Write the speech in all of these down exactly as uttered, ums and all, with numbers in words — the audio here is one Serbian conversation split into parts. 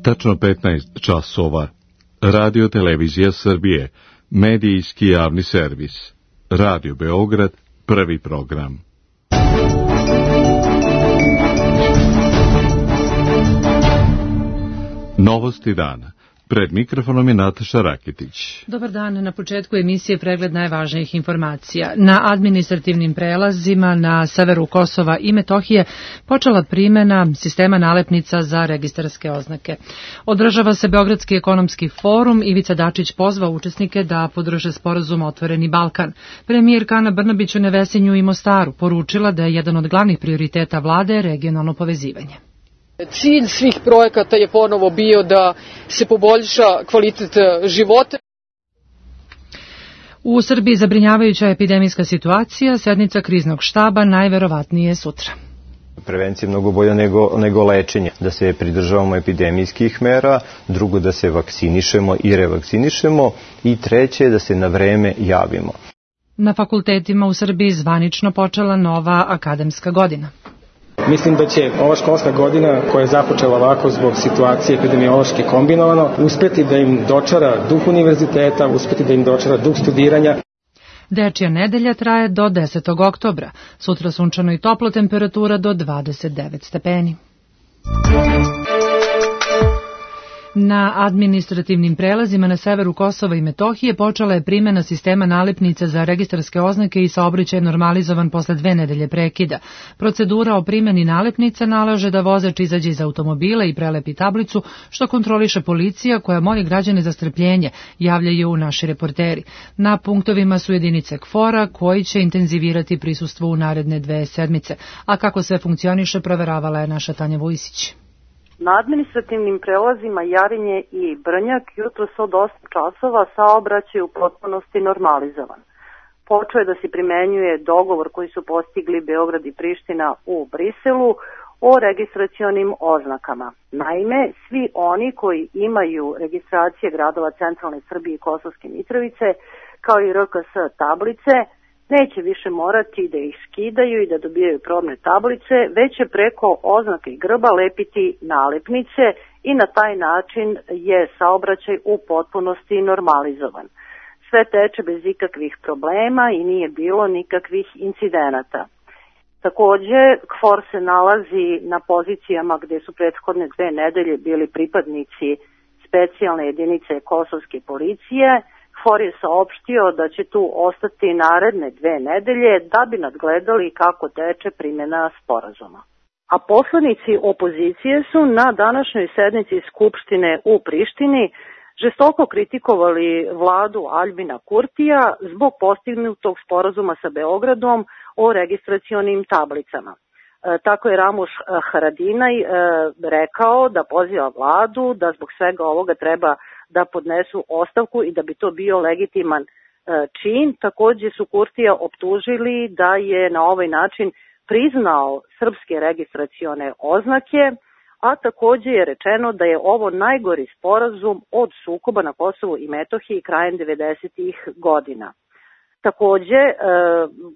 Tačno petnaest časova. Radio Televizija Srbije, medijski javni servis. Radio Beograd, prvi program. Novosti dana. Pred mikrofonom je Nataša Raketić. Dobar dan, na početku emisije pregled najvažnijih informacija. Na administrativnim prelazima na severu Kosova i Metohije počela primjena sistema nalepnica za registarske oznake. Održava se Beogradski ekonomski forum, Ivica Dačić pozvao učesnike da podrže sporazum Otvoreni Balkan. Premijerka Ana Brnabić u Nevesinju i Mostaru poručila da je jedan od glavnih prioriteta vlade regionalno povezivanje. Cilj svih projekata je ponovo bio da se poboljša kvalitet života. U Srbiji zabrinjavajuća epidemijska situacija, sednica kriznog štaba najverovatnije sutra. Prevencija je mnogo bolja nego, nego lečenje. Da se pridržavamo epidemijskih mera, drugo da se vakcinišemo i revakcinišemo i treće da se na vreme javimo. Na fakultetima u Srbiji zvanično počela nova akademska godina. Mislim da će ova školska godina koja je započela ovako zbog situacije epidemiološke kombinovano uspeti da im dočara duh univerziteta, uspeti da im dočara duh studiranja. Dečija nedelja traje do desetog oktobra. Sutra sunčano i toplo, temperatura do dvadeset devet stepeni. Na administrativnim prelazima na severu Kosova i Metohije počela je primjena sistema nalepnica za registarske oznake i saobraćaj je normalizovan posle dve nedelje prekida. Procedura o primjeni nalepnica nalaže da vozač izađe iz automobila i prelepi tablicu, što kontroliše policija koja moli građane za strpljenje, javljaju naši reporteri. Na punktovima su jedinice KFOR-a koji će intenzivirati prisustvo u naredne dve sedmice. A kako sve funkcioniše, proveravala je naša Tanja Vujsić. Na administrativnim prelazima Jarinje i Brnjak jutros od osam časova saobraćaj u potpunosti normalizovan. Počeo je da se primenjuje dogovor koji su postigli Beograd i Priština u Briselu o registracionim oznakama. Naime, svi oni koji imaju registracije gradova centralne Srbije i Kosovske Mitrovice, kao i R K S tablice, neće više morati da ih skidaju i da dobijaju probne tablice, već će preko oznake i grba lepiti nalepnice i na taj način je saobraćaj u potpunosti normalizovan. Sve teče bez ikakvih problema i nije bilo nikakvih incidenata. Takođe, KFOR se nalazi na pozicijama gde su prethodne dve nedelje bili pripadnici specijalne jedinice kosovske policije. KFOR je saopštio da će tu ostati naredne dve nedelje da bi nadgledali kako teče primjena sporazuma. A poslanici opozicije su na današnjoj sednici Skupštine u Prištini žestoko kritikovali vladu Aljbina Kurtija zbog postignutog sporazuma sa Beogradom o registracionim tablicama. E, tako je Ramuš Haradinaj e, rekao da poziva vladu da zbog svega ovoga treba da podnesu ostavku i da bi to bio legitiman e, čin. Takođe su Kurtija optužili da je na ovaj način priznao srpske registracione oznake, a takođe je rečeno da je ovo najgori sporazum od sukoba na Kosovu i Metohiji krajem devedesetih godina. Takođe, e,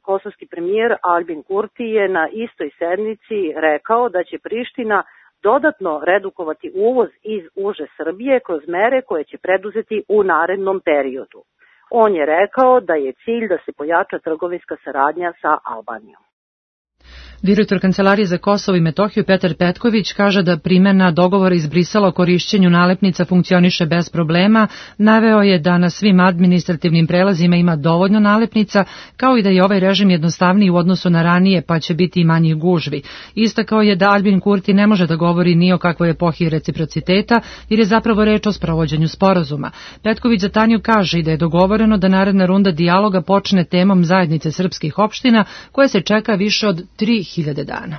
kosovski premijer Aljbin Kurti je na istoj sednici rekao da će Priština dodatno redukovati uvoz iz uže Srbije kroz mere koje će preduzeti u narednom periodu. On je rekao da je cilj da se pojača trgovinska saradnja sa Albanijom. Direktor Kancelarije za Kosovo i Metohiju Petar Petković kaže da primjena dogovora iz Brisela o korišćenju nalepnica funkcioniše bez problema. Naveo je da na svim administrativnim prelazima ima dovoljno nalepnica, kao i da je ovaj režim jednostavniji u odnosu na ranije, pa će biti i manjih gužvi. Istakao je da Aljbin Kurti ne može da govori ni o kakvoj epohi reciprociteta, jer je zapravo reč o sprovođenju sporazuma. Petković za Tanju kaže i da je dogovoreno da naredna runda dijaloga počne temom zajednice srpskih opština, koje se čeka više od tri hiljade dana.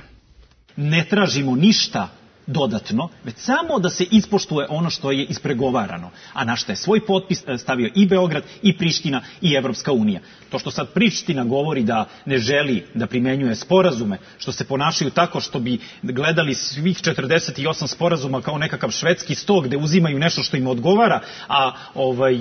Ne tražimo ništa dodatno, već samo da se ispoštuje ono što je ispregovarano, a na što je svoj potpis stavio i Beograd, i Priština, i Evropska unija. To što sad Priština govori da ne želi da primenjuje sporazume, što se ponašaju tako što bi gledali svih četrdeset osam sporazuma kao nekakav švedski sto gde uzimaju nešto što im odgovara, a ovaj,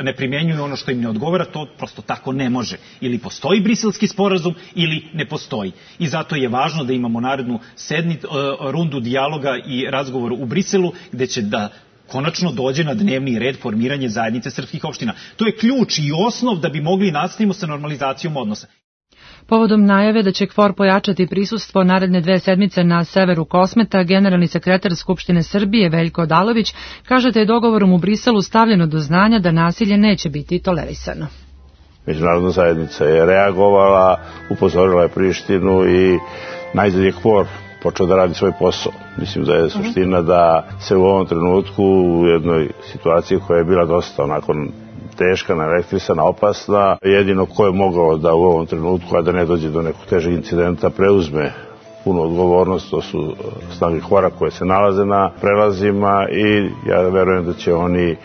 ne primenjuju ono što im ne odgovara, to prosto tako ne može. Ili postoji briselski sporazum, ili ne postoji. I zato je važno da imamo narednu sedmi, rundu dijaloga dijaloga i razgovora u Briselu, gde će da konačno dođe na dnevni red formiranje zajednice srpskih opština. To je ključ i osnov da bi mogli nastaviti sa normalizacijom odnosa. Povodom najave da će K F O R pojačati prisustvo naredne dve sedmice na severu Kosmeta, generalni sekretar Skupštine Srbije Veljko Odalović kaže da je dogovorom u Briselu stavljeno do znanja da nasilje neće biti tolerisano. Međunarodna zajednica je reagovala, upozorila je Prištinu i najzad je K F O R počeo da radi svoj posao. Mislim da je suština da se u ovom trenutku u jednoj situaciji koja je bila dosta onako teška, naelektrisana, opasna, jedino ko je mogao da u ovom trenutku, a da ne dođe do nekog težeg incidenta, preuzme punu odgovornost, to su snage K F O R-a koje se nalaze na prelazima i ja verujem da će oni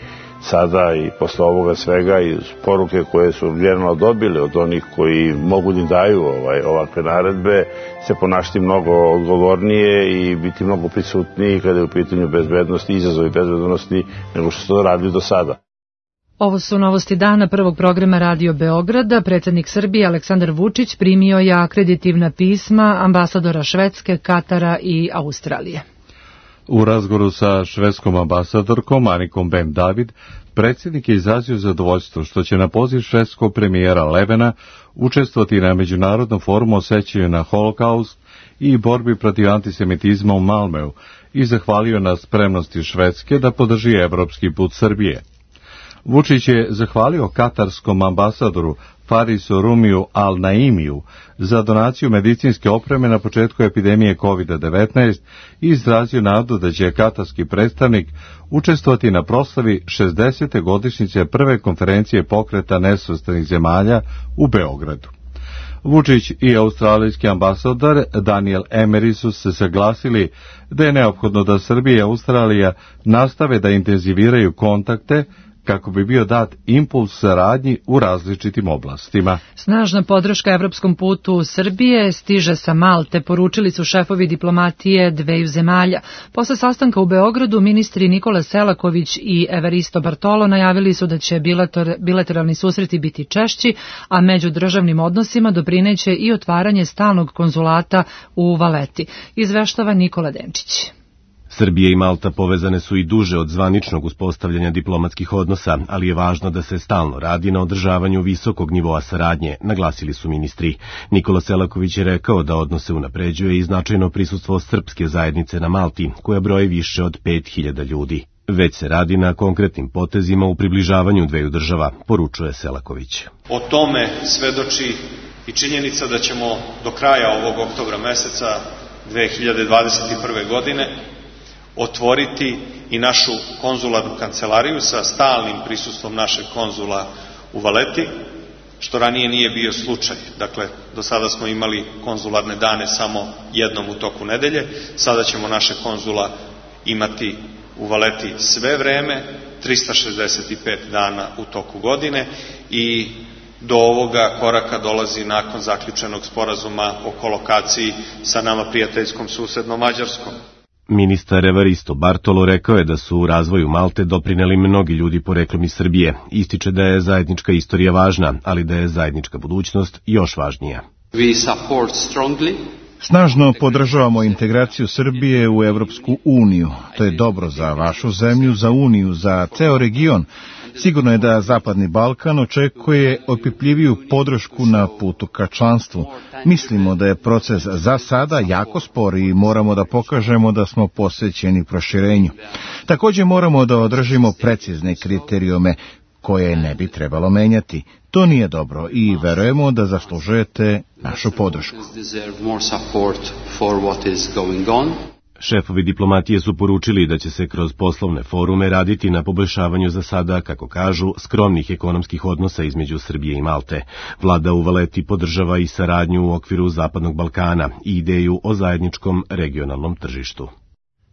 sada i posle ovoga svega i poruke koje su vjerno dobili od onih koji mogu da daju ovaj, ovakve naredbe se ponašati mnogo odgovornije i biti mnogo prisutniji kada je u pitanju bezbednosti, izazovi bezbednosti nego što su to radili do sada. Ovo su novosti dana prvog programa Radio Beograda. Predsjednik Srbije Aleksandar Vučić primio je akreditivna pisma ambasadora Švedske, Katara i Australije. U razgovoru sa švedskom ambasadorkom Anikom Ben David, predsjednik je izrazio zadovoljstvo što će na poziv švedskog premijera Levena učestvovati na Međunarodnom forumu o sećanju na Holokaust i borbi protiv antisemitizma u Malmeu i zahvalio na spremnosti Švedske da podrži evropski put Srbije. Vučić je zahvalio katarskom ambasadoru Farisu Rumiju Al Naimiju za donaciju medicinske opreme na početku epidemije kovid devetnaest i izrazio nadu da će katarski predstavnik učestvovati na proslavi šezdesete godišnjice prve konferencije pokreta nesvrstanih zemalja u Beogradu. Vučić i australijski ambasador Daniel Emery su se saglasili da je neophodno da Srbija i Australija nastave da intenziviraju kontakte kako bi bio dat impuls saradnji u različitim oblastima. Snažna podrška evropskom putu Srbije stiže sa Malte, poručili su šefovi diplomatije dveju zemalja. Posle sastanka u Beogradu, ministri Nikola Selaković i Evaristo Bartolo najavili su da će bilateralni susreti biti češći, a među državnim odnosima doprineće i otvaranje stalnog konzulata u Valeti. Izveštava Nikola Denčić. Srbija i Malta povezane su i duže od zvaničnog uspostavljanja diplomatskih odnosa, ali je važno da se stalno radi na održavanju visokog nivoa saradnje, naglasili su ministri. Nikola Selaković je rekao da odnose unapređuje i značajno prisustvo srpske zajednice na Malti, koja broji više od pet hiljada ljudi. Već se radi na konkretnim potezima u približavanju dveju država, poručuje Selaković. O tome svedoči i činjenica da ćemo do kraja ovog oktobra meseca dve hiljade dvadeset prve. godine otvoriti i našu konzularnu kancelariju sa stalnim prisustvom našeg konzula u Valeti, što ranije nije bio slučaj. Dakle, do sada smo imali konzularne dane samo jednom u toku nedelje, sada ćemo naše konzula imati u Valeti sve vreme, trista šezdeset pet dana u toku godine i do ovoga koraka dolazi nakon zaključenog sporazuma o kolokaciji sa nama prijateljskom susednom Mađarskom. Ministar Evaristo Bartolo rekao je da su u razvoju Malte doprineli mnogi ljudi poreklom iz Srbije. Ističe da je zajednička istorija važna, ali da je zajednička budućnost još važnija. Snažno podržavamo integraciju Srbije u Evropsku uniju. To je dobro za vašu zemlju, za uniju, za ceo region. Sigurno je da Zapadni Balkan očekuje opipljiviju podršku na putu ka članstvu. Mislimo da je proces za sada jako spor i moramo da pokažemo da smo posvećeni proširenju. Također moramo da održimo precizne kriterijume koje ne bi trebalo menjati. To nije dobro i verujemo da zaslužujete našu podršku. Šefovi diplomatije su poručili da će se kroz poslovne forume raditi na poboljšavanju za sada, kako kažu, skromnih ekonomskih odnosa između Srbije i Malte. Vlada u Valeti podržava i saradnju u okviru Zapadnog Balkana i ideju o zajedničkom regionalnom tržištu.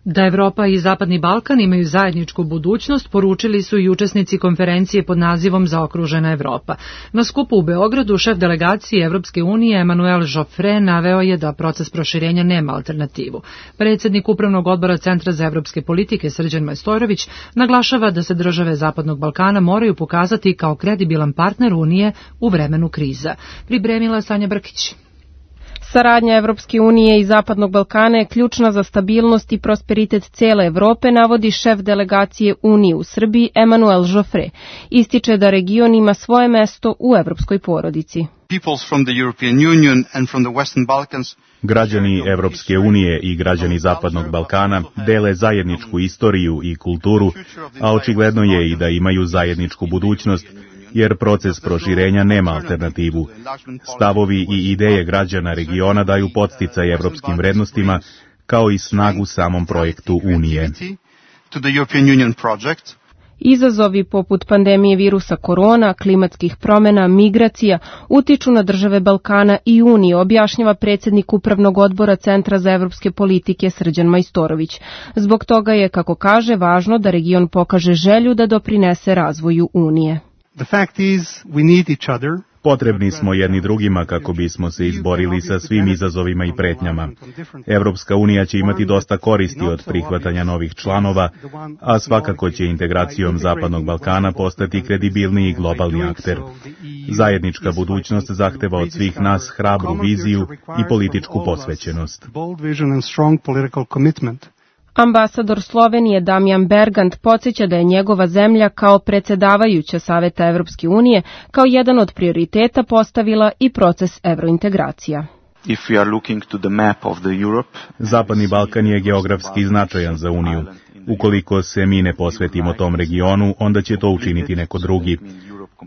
Da Evropa i Zapadni Balkan imaju zajedničku budućnost, poručili su i učesnici konferencije pod nazivom Zaokružena Evropa. Na skupu u Beogradu šef delegacije Evropske unije Emanuel Joffre naveo je da proces proširenja nema alternativu. Predsjednik Upravnog odbora Centra za evropske politike Srđan Majstorović naglašava da se države Zapadnog Balkana moraju pokazati kao kredibilan partner Unije u vremenu kriza. Pripremila Sanja Brkić. Saradnja Evropske unije i Zapadnog Balkana je ključna za stabilnost i prosperitet cele Evrope, navodi šef delegacije Unije u Srbiji Emmanuel Joffre. Ističe da region ima svoje mesto u evropskoj porodici. Građani Evropske unije i građani Zapadnog Balkana dele zajedničku istoriju i kulturu, a očigledno je i da imaju zajedničku budućnost, jer proces proširenja nema alternativu. Stavovi i ideje građana regiona daju podsticaj evropskim vrednostima, kao i snagu samom projektu Unije. Izazovi poput pandemije virusa korona, klimatskih promjena, migracija utiču na države Balkana i Unije, objašnjava predsjednik Upravnog odbora Centra za evropske politike Srđan Majstorović. Zbog toga je, kako kaže, važno da region pokaže želju da doprinese razvoju Unije. The fact is, we need each other. Potrebni smo jedni drugima kako bismo se izborili sa svim izazovima i pretnjama. Evropska unija će imati dosta koristi od prihvatanja novih članova, a svakako će integracijom Zapadnog Balkana postati kredibilniji globalni akter. Zajednička budućnost zahteva od svih nas hrabru viziju i političku posvećenost. Ambasador Slovenije Damjan Bergant podsjeća da je njegova zemlja kao predsjedavajuća Saveta Evropske unije kao jedan od prioriteta postavila i proces evrointegracija. If we are looking to the map of the Europe, Zapadni Balkan je geografski značajan za Uniju. Ukoliko se mi ne posvetimo tom regionu, onda će to učiniti neko drugi.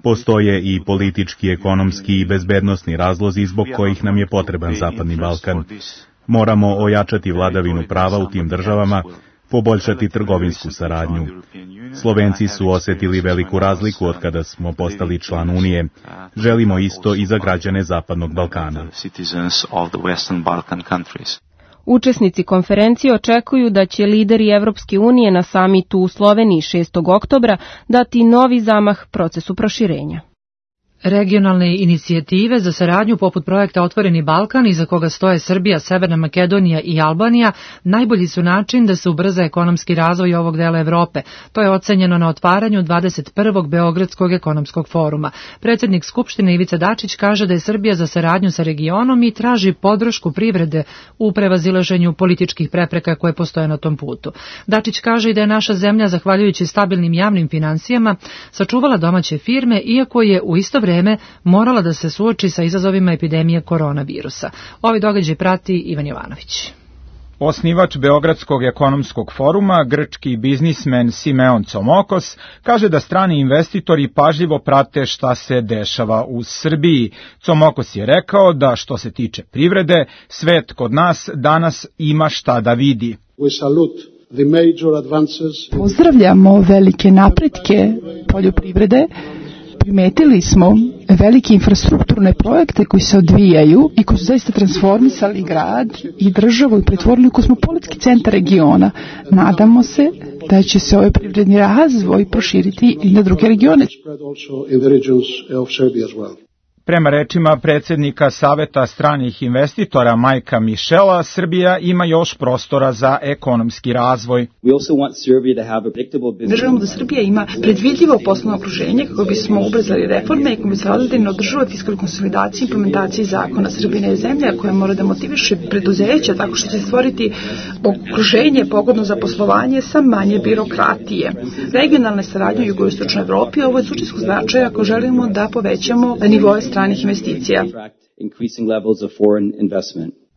Postoje i politički, ekonomski i bezbednosni razlozi zbog kojih nam je potreban Zapadni Balkan. Moramo ojačati vladavinu prava u tim državama, poboljšati trgovinsku saradnju. Slovenci su osjetili veliku razliku od kada smo postali član Unije. Želimo isto i za građane Zapadnog Balkana. Učesnici konferencije očekuju da će lideri Evropske unije na samitu u Sloveniji šestog oktobra dati novi zamah procesu proširenja. Regionalne inicijative za saradnju poput projekta Otvoreni Balkan, iza koga stoje Srbija, Severna Makedonija i Albanija, najbolji su način da se ubrza ekonomski razvoj ovog dela Evrope. To je ocenjeno na otvaranju dvadeset prvog Beogradskog ekonomskog foruma. Predsjednik Skupštine Ivica Dačić kaže da je Srbija za saradnju sa regionom i traži podršku privrede u prevazilaženju političkih prepreka koje postoje na tom putu. Dačić kaže i da je naša zemlja, zahvaljujući stabilnim javnim finansijama, sačuvala domaće firme, iako je u isto vreme morala da se suoči sa izazovima epidemije koronavirusa. Ovi događaj prati Ivan Jovanović. Osnivač Beogradskog ekonomskog foruma, grčki biznismen Simeon Comokos, kaže da strani investitori pažljivo prate šta se dešava u Srbiji. Comokos je rekao da što se tiče privrede, svet kod nas danas ima šta da vidi. Pozdravljamo velike napretke poljoprivrede. Primetili smo velike infrastrukturne projekte koji se odvijaju i koji su zaista transformisali grad i državu i pretvorili u kosmopolitski centar regiona. Nadamo se da će se ovaj privredni razvoj proširiti i na druge regione. Prema rečima predsjednika Saveta stranih investitora Majka Mišela, Srbija ima još prostora za ekonomski razvoj. Želimo da Srbija ima predvidljivo poslovno okruženje kako bismo ubrzali reforme i kako bi se radili na održivoj fiskalnoj konsolidaciji i implementaciji zakona. Srbija je zemlja koja mora da motiviše preduzeća tako što će stvoriti okruženje pogodno za poslovanje sa manje birokratije. Regionalne saradnje u jugoistočnoj Evropi ovo je suštinskog značaja ako želimo da povećamo nivoe stranih investicija.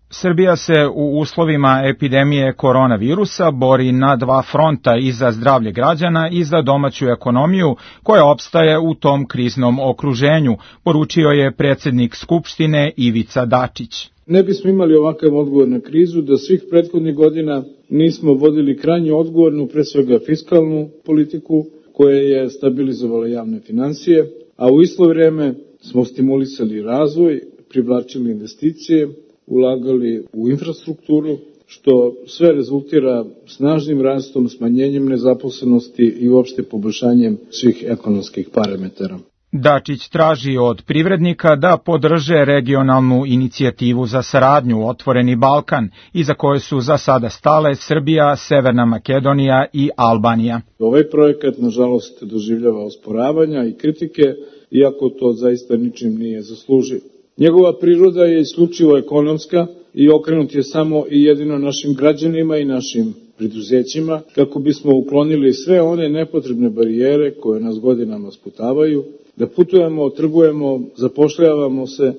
Srbija se u uslovima epidemije koronavirusa bori na dva fronta, i za zdravlje građana i za domaću ekonomiju koja opstaje u tom kriznom okruženju, poručio je predsjednik Skupštine Ivica Dačić. Ne bismo imali ovakav odgovor na krizu da svih prethodnih godina nismo vodili krajnje odgovornu, pre svega fiskalnu politiku koja je stabilizovala javne finansije, a u isto vrijeme smo stimulisali razvoj, privlačili investicije, ulagali u infrastrukturu, što sve rezultira snažnim rastom, smanjenjem nezaposlenosti i uopšte poboljšanjem svih ekonomskih parametara. Dačić traži od privrednika da podrže regionalnu inicijativu za saradnju Otvoreni Balkan, iza koje su za sada stale Srbija, Severna Makedonija i Albanija. Ovaj projekat, nažalost, doživljava osporavanja i kritike, iako to zaista ničim nije zaslužio. Njegova priroda je isključivo ekonomska i okrenut je samo i jedino našim građanima i našim preduzećima, kako bismo uklonili sve one nepotrebne barijere koje nas godinama sputavaju, da putujemo, trgujemo, zapošljavamo se,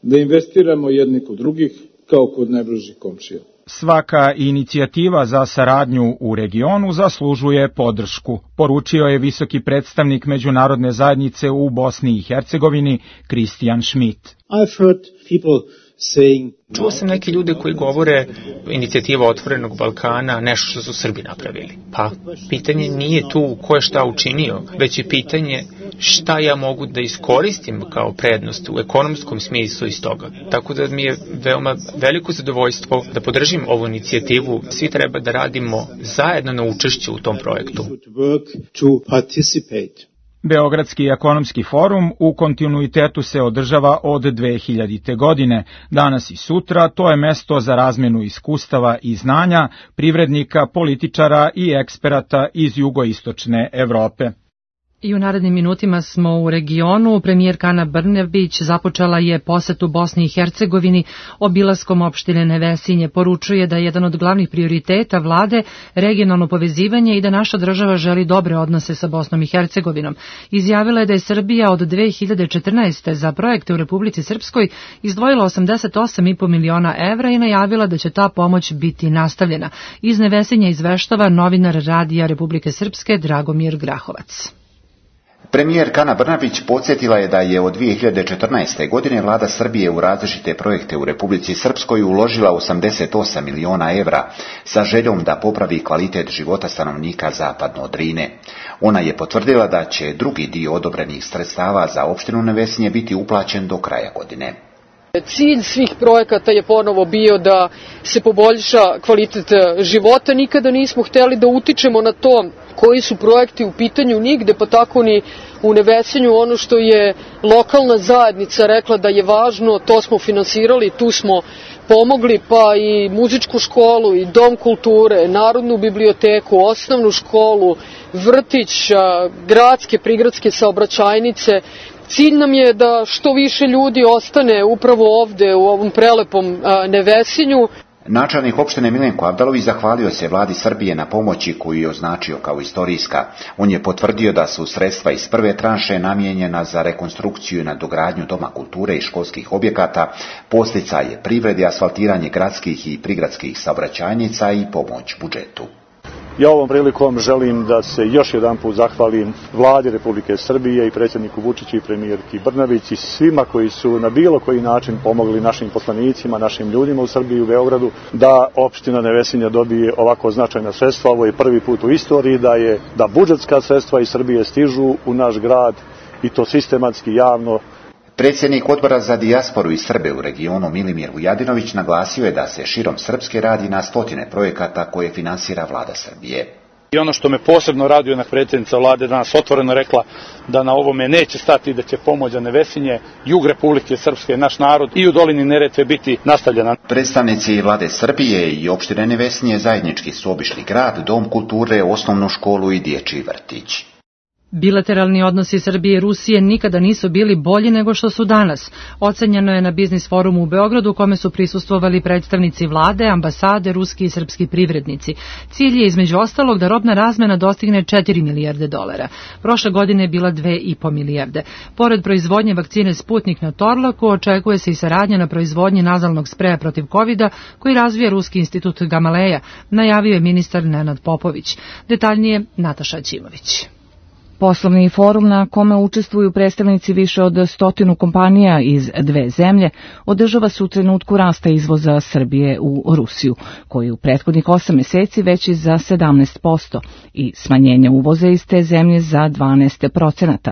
da investiramo jedni kod drugih, kao kod najbližih komšija. Svaka inicijativa za saradnju u regionu zaslužuje podršku, poručio je visoki predstavnik međunarodne zajednice u Bosni i Hercegovini, Kristijan Schmidt. I've heard people saying, čuo sam neke ljude koji govore inicijativa Otvorenog Balkana nešto što su Srbi napravili. Pa pitanje nije tu ko je šta učinio, već je pitanje šta ja mogu da iskoristim kao prednost u ekonomskom smislu iz toga. Tako da mi je veoma veliko zadovoljstvo da podržim ovu inicijativu. Svi treba da radimo zajedno na učešću u tom projektu. Beogradski ekonomski forum u kontinuitetu se održava od dve hiljadite. godine. Danas i sutra to je mesto za razmenu iskustava i znanja privrednika, političara i eksperata iz jugoistočne Evrope. I u narednim minutima smo u regionu. Premijerka Ana Brnabić započela je posetu Bosni i Hercegovini obilaskom opštine Nevesinje. Poručuje da je jedan od glavnih prioriteta vlade regionalno povezivanje i da naša država želi dobre odnose sa Bosnom i Hercegovinom. Izjavila je da je Srbija od dve hiljade četrnaeste. za projekte u Republici Srpskoj izdvojila osamdeset osam i po miliona evra i najavila da će ta pomoć biti nastavljena. Iz Nevesinja izveštava novinar Radija Republike Srpske Dragomir Grahovac. Premijerka Ana Brnabić podsjetila je da je od dve hiljade četrnaeste. godine vlada Srbije u različite projekte u Republici Srpskoj uložila osamdeset osam miliona evra sa željom da popravi kvalitet života stanovnika zapadno od Drine. Ona je potvrdila da će drugi dio odobrenih sredstava za opštinu Nevesinje biti uplaćen do kraja godine. Cilj svih projekata je ponovo bio da se poboljša kvalitet života. Nikada nismo hteli da utičemo na to koji su projekti u pitanju nigde, pa tako ni u Nevesinju. Ono što je lokalna zajednica rekla da je važno, to smo finansirali, tu smo pomogli, pa i muzičku školu, i dom kulture, narodnu biblioteku, osnovnu školu, vrtić, gradske, prigradske saobraćajnice. Cilj nam je da što više ljudi ostane upravo ovde u ovom prelepom Nevesinju. Načelnik opštine Milenko Abdalović zahvalio se vladi Srbije na pomoći koju je označio kao istorijska. On je potvrdio da su sredstva iz prve tranše namijenjena za rekonstrukciju i nadogradnju doma kulture i školskih objekata, podsticaje privrede, asfaltiranje gradskih i prigradskih saobraćajnica i pomoć budžetu. Ja ovom prilikom želim da se još jedan put zahvalim vladi Republike Srbije i predsjedniku Vučiću i premijerki Brnabić i svima koji su na bilo koji način pomogli našim poslanicima, našim ljudima u Srbiji i u Beogradu da opština Nevesinja dobije ovako značajna sredstva. Ovo je prvi put u istoriji da je da budžetska sredstva iz Srbije stižu u naš grad i to sistematski, javno. Predsjednik odbora za dijasporu i Srbe u regionu Milimir Vujadinović naglasio je da se širom Srpske radi na stotine projekata koje finansira vlada Srbije. I ono što me posebno raduje, na predsjednica vlade danas otvoreno rekla da na ovome neće stati, da će pomoć za Nevesinje, jug Republike Srpske, naš narod i u dolini Neretve biti nastavljena. Predstavnici vlade Srbije i opštine Nevesinje zajednički su obišli grad, dom kulture, osnovnu školu i dječji vrtić. Bilateralni odnosi Srbije i Rusije nikada nisu bili bolji nego što su danas. Ocenjeno je na Biznis forumu u Beogradu, u kome su prisustvovali predstavnici vlade, ambasade, ruski i srpski privrednici. Cilj je između ostalog da robna razmena dostigne četiri milijarde dolara. Prošle godine je bila dve i po milijarde. Pored proizvodnje vakcine Sputnik na Torlaku, očekuje se i saradnja na proizvodnji nazalnog spreja protiv kovida koji razvija Ruski institut Gamaleja, najavio je ministar Nenad Popović. Detaljnije Nataša Ćimović. Poslovni forum na kome učestvuju predstavnici više od stotinu kompanija iz dve zemlje održava se u trenutku rasta izvoza Srbije u Rusiju, koji u prethodnih osam meseci veći za sedamnaest posto i smanjenja uvoza iz te zemlje za dvanaest procenata.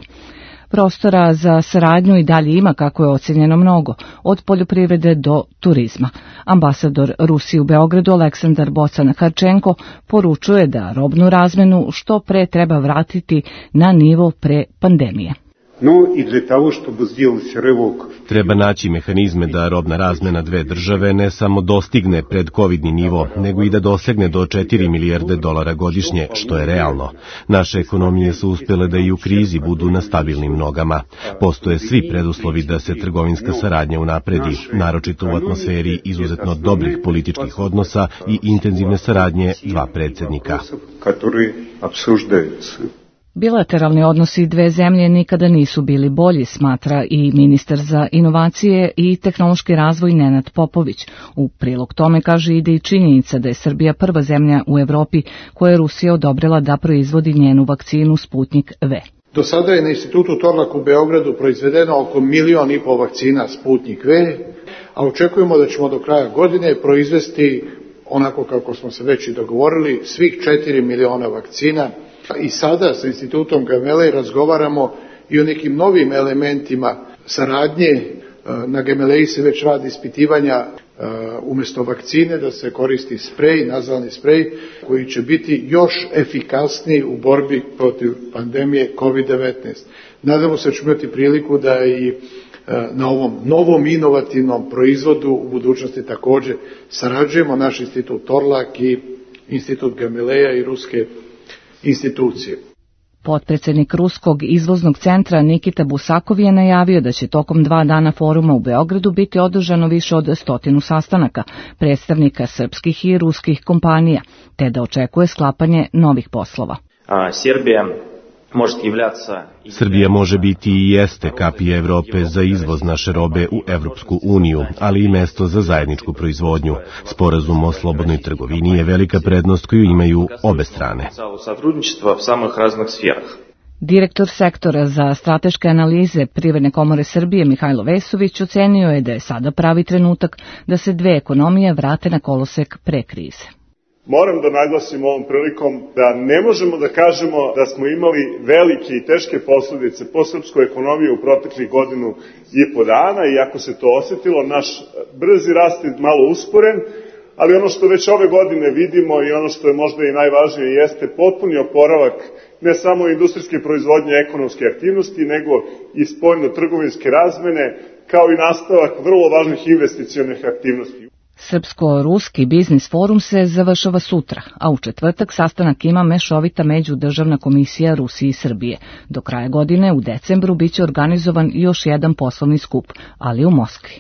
Prostora za saradnju i dalje ima, kako je ocenjeno, mnogo, od poljoprivrede do turizma. Ambasador Rusije u Beogradu Aleksandar Bocan-Harčenko poručuje da robnu razmenu što pre treba vratiti na nivo pre pandemije. Но и для того, чтобы сделать рывок. Treba naći mehanizme da robna razmena dve države ne samo dostigne predkovidni nivo, nego i da dosegne do četiri milijarde dolara godišnje, što je realno. Naše ekonomije su uspjele da i u krizi budu na stabilnim nogama. Postoje svi preduslovi da se trgovinska saradnja unapredi, naročito u atmosferi izuzetno dobrih političkih odnosa i intenzivne saradnje dva predsjednika. Bilateralni odnosi dve zemlje nikada nisu bili bolji, smatra i ministar za inovacije i tehnološki razvoj Nenad Popović. U prilog tome, kaže, ide i činjenica da je Srbija prva zemlja u Evropi koja je Rusija odobrila da proizvodi njenu vakcinu Sputnik V. Do sada je na Institutu Torlak u Beogradu proizvedeno oko milion i pol vakcina Sputnik V, a očekujemo da ćemo do kraja godine proizvesti, onako kako smo se već i dogovorili, svih četiri miliona vakcina. I sada sa Institutom Gamaleje razgovaramo i o nekim novim elementima saradnje. Na Gamaleji se već radi ispitivanja umjesto vakcine da se koristi sprej, nazalni sprej, koji će biti još efikasniji u borbi protiv pandemije kovid devetnaest. Nadamo se da ćemo imati priliku da i na ovom novom inovativnom proizvodu u budućnosti također sarađujemo, naš institut Torlak i Institut Gamaleja i ruske institucije. Potpredsjednik Ruskog izvoznog centra Nikita Busakov je najavio da će tokom dva dana foruma u Beogradu biti održano više od stotinu sastanaka predstavnika srpskih i ruskih kompanija, te da očekuje sklapanje novih poslova. A, Srbija Srbija može biti i jeste kapija Evrope za izvoz naše robe u Evropsku uniju, ali i mesto za zajedničku proizvodnju. Sporazum o slobodnoj trgovini je velika prednost koju imaju obe strane. Direktor sektora za strateške analize Privredne komore Srbije Mihajlo Vesović ocenio je da je sada pravi trenutak da se dve ekonomije vrate na kolosek pre krize. Moram da naglasim ovom prilikom da ne možemo da kažemo da smo imali velike i teške posljedice po srpsku ekonomiju u proteklih godinu i po dana, iako se to osjetilo, naš brzi rast je malo usporen, ali ono što već ove godine vidimo i ono što je možda i najvažnije jeste potpuni oporavak ne samo industrijske proizvodnje ekonomske aktivnosti, nego i spoljno-trgovinske razmene, kao i nastavak vrlo važnih investicionih aktivnosti. Srpsko-ruski biznis forum se završava sutra, a u četvrtak sastanak ima mešovita međudržavna komisija Rusije i Srbije. Do kraja godine, u decembru, biće organizovan još jedan poslovni skup, ali u Moskvi.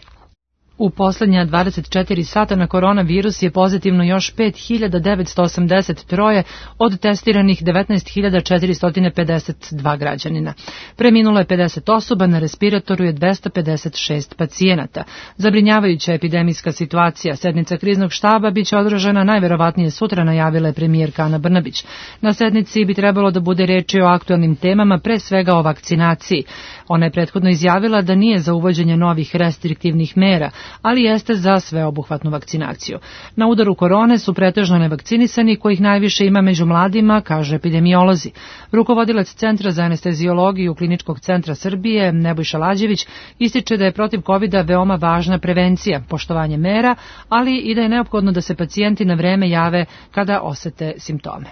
U poslednja dvadeset četiri sata na koronavirus je pozitivno još pet hiljada devetsto osamdeset tri od testiranih devetnaest hiljada četiristo pedeset dva građanina. Preminulo je pedeset osoba, na respiratoru je dvesta pedeset šest pacijenata. Zabrinjavajuća epidemijska situacija. Sednica kriznog štaba biće održana najverovatnije sutra, najavila je premijerka Ana Brnabić. Na sednici bi trebalo da bude reči o aktualnim temama, pre svega o vakcinaciji. Ona je prethodno izjavila da nije za uvođenje novih restriktivnih mera, ali jeste za sveobuhvatnu vakcinaciju. Na udaru korone su pretežno nevakcinisani, kojih najviše ima među mladima, kaže epidemiolozi. Rukovodilac Centra za anesteziologiju Kliničkog centra Srbije, Nebojša Lađević, ističe da je protiv kovida veoma važna prevencija, poštovanje mera, ali i da je neophodno da se pacijenti na vreme jave kada osete simptome.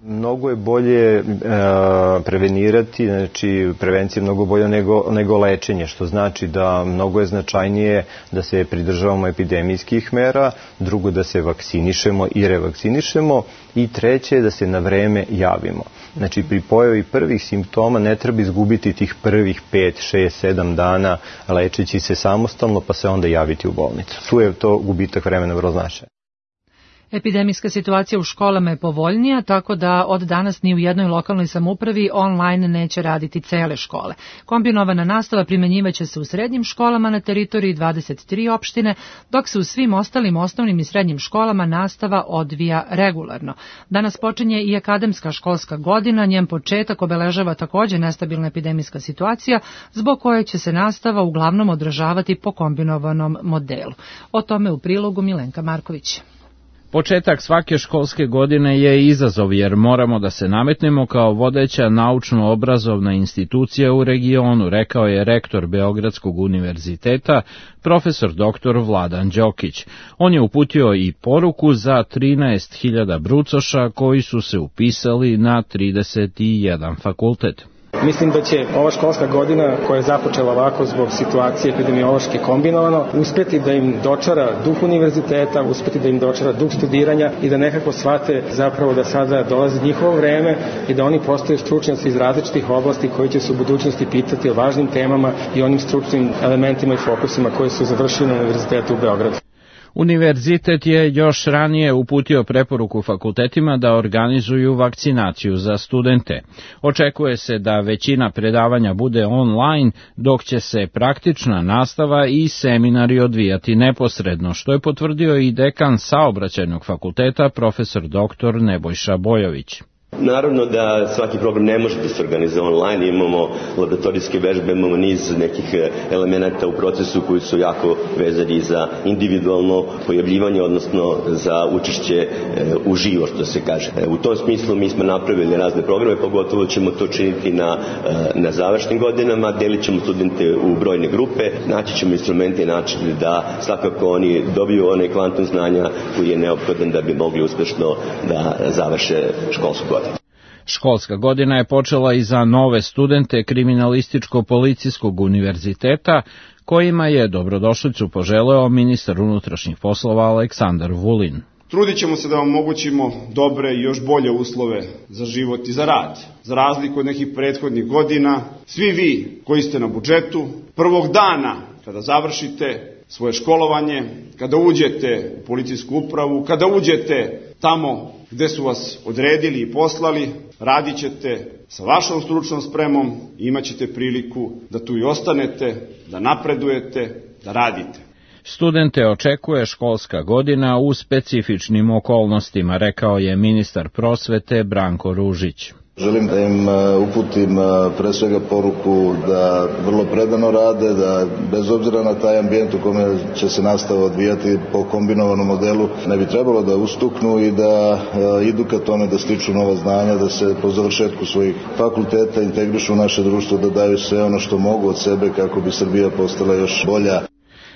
Mnogo je bolje e, prevenirati, znači prevencija je mnogo bolja nego, nego lečenje, što znači da mnogo je značajnije da se pridržavamo epidemijskih mera, drugo da se vakcinišemo i revakcinišemo i treće da se na vreme javimo. Znači pri pojavi prvih simptoma ne treba izgubiti tih prvih pet, šest, sedam dana lečeći se samostalno pa se onda javiti u bolnicu. Tu je to gubitak vremena vrlo značajan. Epidemijska situacija u školama je povoljnija, tako da od danas ni u jednoj lokalnoj samoupravi online neće raditi cele škole. Kombinovana nastava primenjivaće se u srednjim školama na teritoriji dvadeset tri opštine, dok se u svim ostalim osnovnim i srednjim školama nastava odvija regularno. Danas počinje i akademska školska godina, njen početak obeležava također nestabilna epidemijska situacija, zbog koje će se nastava uglavnom odražavati po kombinovanom modelu. O tome u prilogu Milenka Marković. Početak svake školske godine je izazov jer moramo da se nametnemo kao vodeća naučno-obrazovna institucija u regionu, rekao je rektor Beogradskog univerziteta, profesor doktor Vladan Đokić. On je uputio i poruku za trinaest hiljada brucoša koji su se upisali na trideset jedan fakultet. Mislim da će ova školska godina koja je započela ovako zbog situacije epidemiološke kombinovano uspeti da im dočara duh univerziteta, uspeti da im dočara duh studiranja i da nekako shvate zapravo da sada dolazi njihovo vreme i da oni postaju stručnjaci iz različitih oblasti koji će se u budućnosti pitati o važnim temama i onim stručnim elementima i fokusima koje su završili na Univerzitetu u Beogradu. Univerzitet je još ranije uputio preporuku fakultetima da organizuju vakcinaciju za studente. Očekuje se da većina predavanja bude online, dok će se praktična nastava i seminari odvijati neposredno, što je potvrdio i dekan Saobraćajnog fakulteta profesor doktor Nebojša Bojović. Naravno da svaki program ne može da se organizuje online, imamo laboratorijske vežbe, imamo niz nekih elemenata u procesu koji su jako vezani za individualno pojavljivanje, odnosno za učešće u živo, što se kaže. U tom smislu mi smo napravili razne programe, pogotovo ćemo to činiti na, na završnim godinama, delit ćemo studente u brojne grupe, naći ćemo instrumente i načine da svakako oni dobiju onaj kvantum znanja koji je neophodan da bi mogli uspešno da završe školsku godinu. Školska godina je počela i za nove studente Kriminalističko-policijskog univerziteta, kojima je dobrodošlicu poželeo ministar unutrašnjih poslova Aleksandar Vulin. Trudit ćemo se da vam omogućimo dobre i još bolje uslove za život i za rad. Za razliku od nekih prethodnih godina, svi vi koji ste na budžetu, prvog dana kada završite svoje školovanje, kada uđete u policijsku upravu, kada uđete tamo gde su vas odredili i poslali, radit ćete sa vašom stručnom spremom i imat ćete priliku da tu i ostanete, da napredujete, da radite. Studente očekuje školska godina u specifičnim okolnostima, rekao je ministar prosvete Branko Ružić. Želim da im uputim pre svega poruku da vrlo predano rade, da bez obzira na taj ambijent u kome će se nastava odvijati po kombinovanom modelu, ne bi trebalo da ustuknu i da idu ka tome da stiču nova znanja, da se po završetku svojih fakulteta integrišu u naše društvo, da daju sve ono što mogu od sebe kako bi Srbija postala još bolja.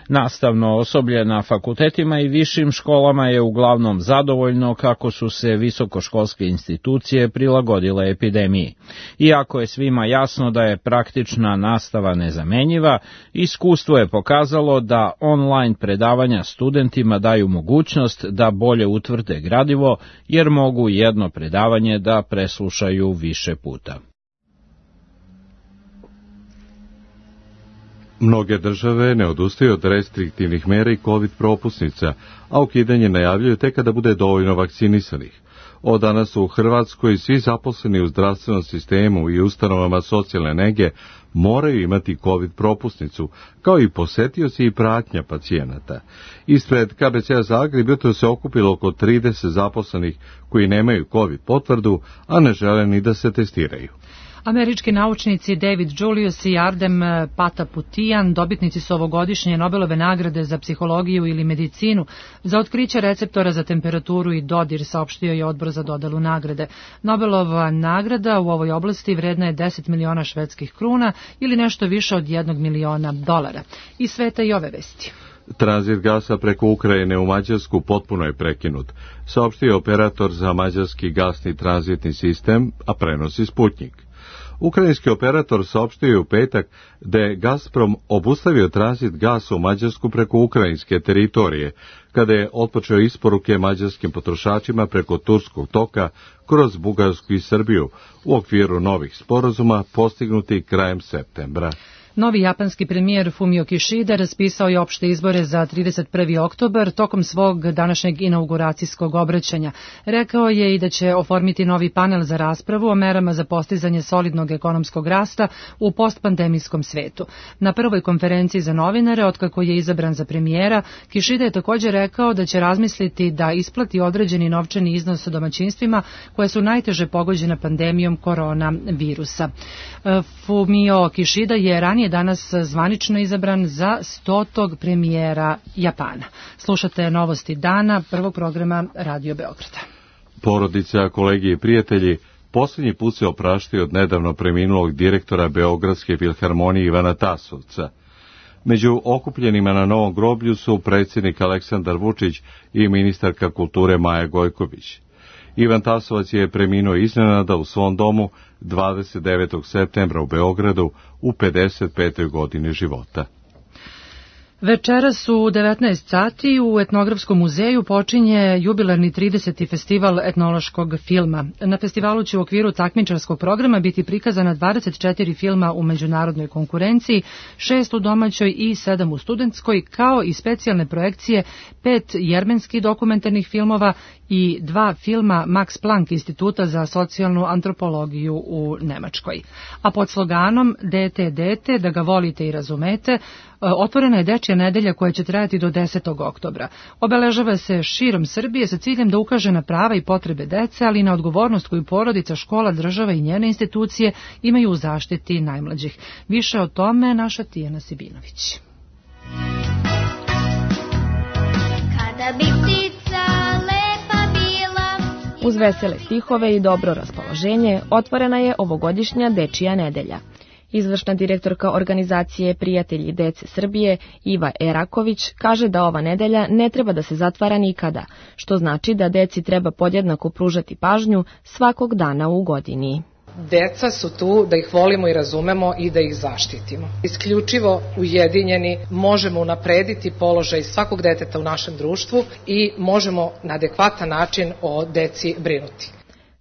Nastavno osoblje na fakultetima i višim školama je uglavnom zadovoljno kako su se visokoškolske institucije prilagodile epidemiji. Iako je svima jasno da je praktična nastava nezamenjiva, iskustvo je pokazalo da online predavanja studentima daju mogućnost da bolje utvrde gradivo, jer mogu jedno predavanje da preslušaju više puta. Mnoge države ne odustaju od restriktivnih mera i COVID propusnica, a ukidanje najavljuju tek kada bude dovoljno vakcinisanih. Od danas u Hrvatskoj svi zaposleni u zdravstvenom sistemu i ustanovama socijalne nege moraju imati COVID propusnicu, kao i posetioci i pratnja pacijenata. Ispred K B C-a Zagreb jutro se okupilo oko trideset zaposlenih koji nemaju COVID potvrdu, a ne žele ni da se testiraju. Američki naučnici David Julius i Ardem Pataputian dobitnici su ovogodišnje Nobelove nagrade za psihologiju ili medicinu za otkriće receptora za temperaturu i dodir, saopštio je odbor za dodelu nagrade. Nobelova nagrada u ovoj oblasti vredna je deset miliona švedskih kruna ili nešto više od jednog miliona dolara. Iz sveta i ove vesti. Tranzit gasa preko Ukrajine u Mađarsku potpuno je prekinut, saopštio operator za mađarski gasni tranzitni sistem, a prenosi Sputnik. Ukrajinski operator saopštio je u petak da je Gazprom obustavio tranzit gasa u Mađarsku preko ukrajinske teritorije, kada je otpočeo isporuke mađarskim potrošačima preko Turskog toka kroz Bugarsku i Srbiju u okviru novih sporazuma postignuti krajem septembra. Novi japanski premijer Fumio Kishida raspisao je opšte izbore za trideset prvi oktobar tokom svog današnjeg inauguracijskog obraćanja. Rekao je i da će oformiti novi panel za raspravu o merama za postizanje solidnog ekonomskog rasta u postpandemijskom svetu. Na prvoj konferenciji za novinare, otkako je izabran za premijera, Kishida je također rekao da će razmisliti da isplati određeni novčani iznos domaćinstvima koje su najteže pogođene pandemijom koronavirusa. Fumio Kishida je ranije je danas zvanično izabran za stotog premijera Japana. Slušate novosti dana prvog programa Radio Beograda. Porodica, kolegi i prijatelji posljednji put se opraštaju od nedavno preminulog direktora Beogradske filharmonije Ivana Tasovca. Među okupljenima na novom groblju su predsjednik Aleksandar Vučić i ministarka kulture Maja Gojković. Ivan Tasovac je preminuo iznenada u svom domu dvadeset devetog septembra u Beogradu u pedeset petoj godini života. Večeras u devetnaest sati u Etnografskom muzeju počinje jubilarni trideseti festival etnološkog filma. Na festivalu će u okviru takmičarskog programa biti prikazana dvadeset četiri filma u međunarodnoj konkurenciji, šest u domaćoj i sedam u studentskoj, kao i specijalne projekcije pet jermenskih dokumentarnih filmova i dva filma Max Planck instituta za socijalnu antropologiju u Nemačkoj. A pod sloganom Dete, dete, da ga volite i razumete, otvorena je Dečija nedelja koja će trajati do desetog oktobra. Obeležava se širom Srbije sa ciljem da ukaže na prava i potrebe dece, ali i na odgovornost koju porodica, škola, država i njene institucije imaju u zaštiti najmlađih. Više o tome naša Tijana Sibinović. Kada bi ptica lepa bila... Uz vesele stihove i dobro raspoloženje otvorena je ovogodišnja Dečija nedelja. Izvršna direktorka organizacije Prijatelji dece Srbije, Iva Eraković, kaže da ova nedelja ne treba da se zatvara nikada, što znači da deci treba podjednako pružati pažnju svakog dana u godini. Deca su tu da ih volimo i razumemo i da ih zaštitimo. Isključivo ujedinjeni možemo unaprediti položaj svakog deteta u našem društvu i možemo na adekvatan način o deci brinuti.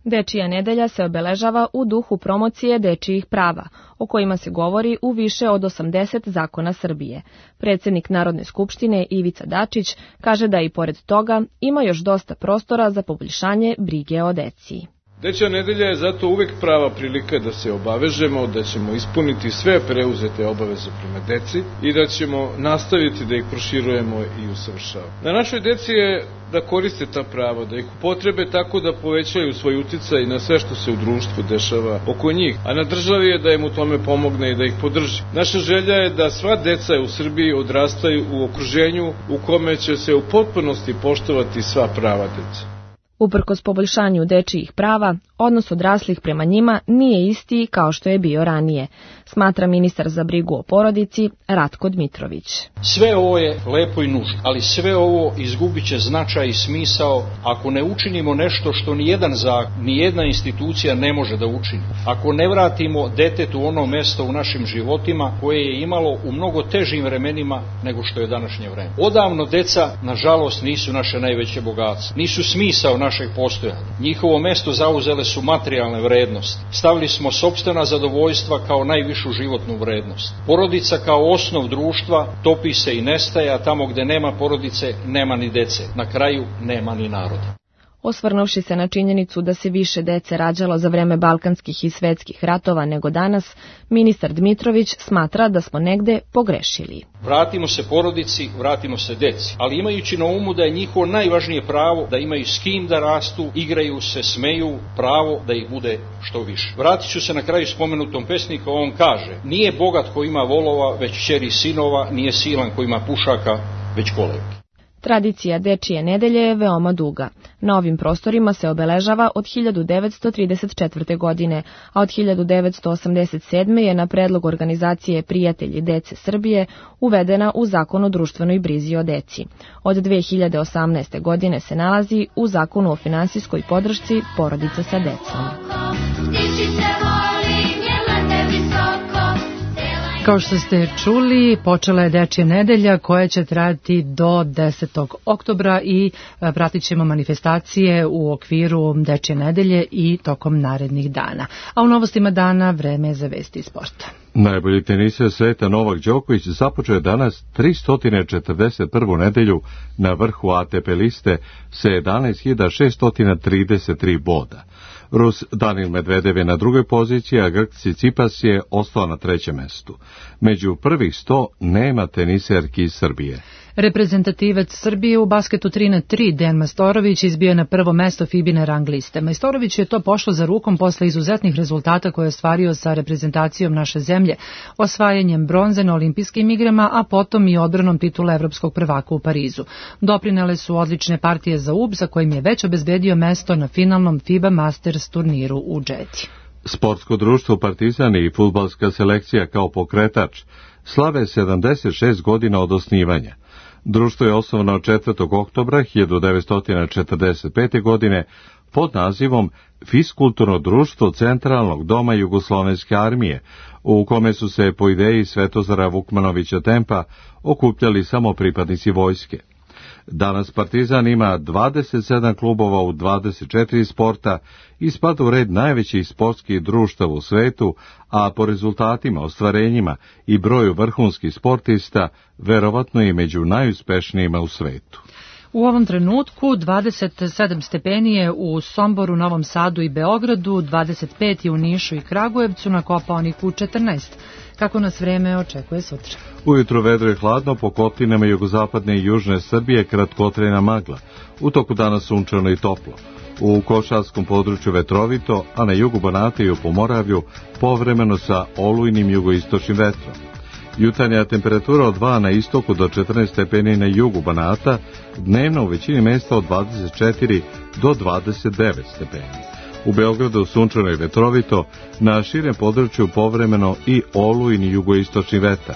Dečija nedelja se obeležava u duhu promocije dečijih prava, o kojima se govori u više od osamdeset zakona Srbije. Predsjednik Narodne skupštine Ivica Dačić kaže da i pored toga ima još dosta prostora za poboljšanje brige o deci. Dečja nedelja je zato uvek prava prilika da se obavežemo da ćemo ispuniti sve preuzete obaveze prema deci i da ćemo nastaviti da ih proširujemo i usavršavamo. Na našoj deci je da koriste ta prava, da ih upotrebe tako da povećaju svoj uticaj na sve što se u društvu dešava oko njih, a na državi je da im u tome pomogne i da ih podrži. Naša želja je da sva deca u Srbiji odrastaju u okruženju u kome će se u potpunosti poštovati sva prava dece. Uprkos poboljšanju dečijih prava, odnos odraslih prema njima nije isti kao što je bio ranije, smatra ministar za brigu o porodici Ratko Dmitrović. Sve ovo je lepo i nužno, ali sve ovo izgubit će značaj i smisao ako ne učinimo nešto što ni jedan zakon, ni jedna institucija ne može da učini. Ako ne vratimo detetu ono mesto u našim životima koje je imalo u mnogo težim vremenima nego što je današnje vreme. Odavno deca, nažalost, nisu naše najveće bogatstvo, nisu smisao našeg postojanja. Njihovo mesto zauzele su materijalne vrednosti. Stavili smo sopstvena zadovoljstva kao najvišu životnu vrednost. Porodica kao osnov društva topi se i nestaje, a tamo gde nema porodice, nema ni dece. Na kraju nema ni naroda. Osvrnuvši se na činjenicu da se više dece rađalo za vreme balkanskih i svetskih ratova nego danas, ministar Dmitrović smatra da smo negde pogrešili. Vratimo se porodici, vratimo se deci, ali imajući na umu da je njihovo najvažnije pravo da imaju s kim da rastu, igraju se, smeju, pravo da ih bude što više. Vratit ću se na kraju spomenutom pesniku, on kaže: nije bogat ko ima volova, već ćeri sinova, nije silan ko ima pušaka, već kolevki. Tradicija Dečije nedelje je veoma duga. Na ovim prostorima se obeležava od hiljadu devetsto trideset četvrte. godine, a od hiljadu devetsto osamdeset sedme. je na predlog organizacije Prijatelji dece Srbije uvedena u Zakon o društvenoj brizi o deci. Od dve hiljade osamnaeste. godine se nalazi u Zakonu o finansijskoj podršci porodica sa decom. Kao što ste čuli, počela je Dečija nedelja koja će trajati do desetog oktobra i pratit ćemo manifestacije u okviru Dečije nedelje i tokom narednih dana. A u novostima dana vreme je za vesti i sporta. Najbolji teniser sveta Novak Đoković započeo je danas tristo četrdeset prvu nedelju na vrhu A T P liste sa jedanaest hiljada šesto trideset tri boda. Rus Danil Medvedev je na drugoj poziciji, a Grk Tsitsipas je ostao na trećem mestu. Među prvih sto nema teniserki iz Srbije. Reprezentativac Srbije u basketu tri na tri Dejan Majstorović izbio je na prvo mesto FIBA-ine rang liste. Majstorović je to pošlo za rukom posle izuzetnih rezultata koje je ostvario sa reprezentacijom naše zemlje, osvajanjem bronze na olimpijskim igrama, a potom i odbranom titula evropskog prvaka u Parizu. Doprinele su odlične partije za U B, za kojim je već obezbedio mesto na finalnom FIBA Masters turniru u Džeti. Sportsko društvo Partizan i fudbalska selekcija kao pokretač slave sedamdeset šest godina od osnivanja. Društvo je osnovano četvrtog oktobra hiljadu devetsto četrdeset pete. godine pod nazivom Fiskulturno društvo Centralnog doma Jugoslovenske armije, u kome su se po ideji Svetozara Vukmanovića Tempa okupljali samo pripadnici vojske. Danas Partizan ima dvadeset sedam klubova u dvadeset četiri sporta i spada u red najvećih sportskih društava u svetu, a po rezultatima, ostvarenjima i broju vrhunskih sportista, verovatno i među najuspešnijima u svetu. U ovom trenutku dvadeset sedam stepeni je u Somboru, Novom Sadu i Beogradu, dvadeset pet je u Nišu i Kragujevcu, na Kopaoniku četrnaest. Kako nas vreme očekuje sutra? Ujutro vedro je hladno, po kotlinama jugozapadne i južne Srbije kratkotrajna magla. U toku dana sunčano i toplo. U Košarskom području vetrovito, a na jugu Banata i u Pomoravlju povremeno sa olujnim jugoistočnim vetrom. Jutarnja temperatura od dva na istoku do četrnaest stepeni na jugu Banata, dnevno u većini mesta od dvadeset četiri do dvadeset devet stepeni. U Beogradu sunčano i vetrovito, na širem području povremeno i olujni jugoistočni vetar.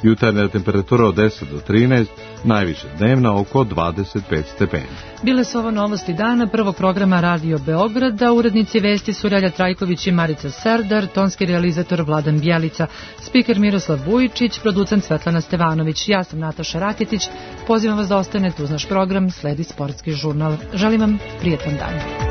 Jutarnja temperatura od deset do trinaest, najviše dnevna oko dvadeset pet stepeni. Bile su ovo novosti dana prvog programa Radio Beograda. Urednici vesti su Relja Trajković i Marica Serdar, tonski realizator Vladan Bjelica, spiker Miroslav Vujičić, producent Svetlana Stevanović. Ja sam Nataša Raketić. Pozivam vas da ostanete uz naš program, sledi sportski žurnal. Želim vam prijetan dan.